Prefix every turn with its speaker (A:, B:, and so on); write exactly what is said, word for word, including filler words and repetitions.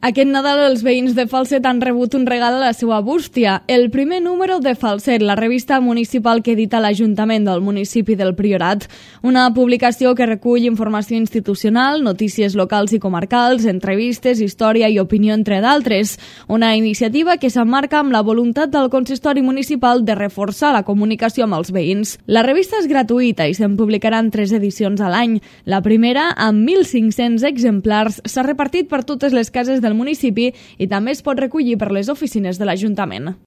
A: Aquest Nadal els veïns de Falset han rebut un regal a la seva bústia, el primer número de Falset, la revista municipal que edita l'Ajuntament del municipi del Priorat. Una publicació que recull informació institucional, notícies locals i comarcals, entrevistes, història i opinió, entre d'altres. Una iniciativa que s'emmarca amb la voluntat del consistori municipal de reforçar la comunicació amb els veïns. La revista és gratuïta i se'n publicaran tres edicions a l'any. La primera, amb mil cinc-cents exemplars, s'ha repartit per totes les cases del municipi i també es pot recollir per les oficines de l'Ajuntament.